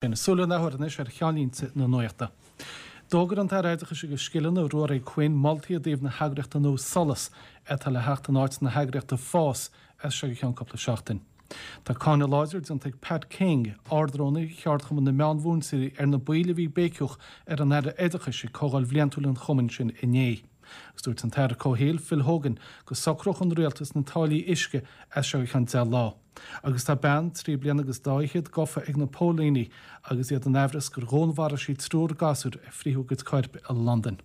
Súil an athuair anois ar cheannlínte na nuachta. D'fhógair an tAire Oideachais agus Scileanna, Ruairí Quinn, moltaí i dtaobh na heagraíochta nua SOLAS, atá le theacht in áit na heagraíochta FÁS as seo go ceann cúpla seachtain. Tá cáineadh láidir déanta ag Pat King, Ard-Rúnaí Cheardchumann na Meánmhúinteoirí ar na baill a bhí ag béiceadh ar an Aire Oideachais ag comhdháil bhliantúil an chumainn sin inné. Agus dúirt an tAire Comhshaoil, Phil Hogan, go socródh an Rialtas na táillí uisce as seo go ceann 10 lá. Agus tá bean trí bliana agus dá fhichead gafa ag na póilíní agus iad in aimhreas gur dhúnmharaigh sí triúr gasúr a frítheadh a gcuid coirp i Londain.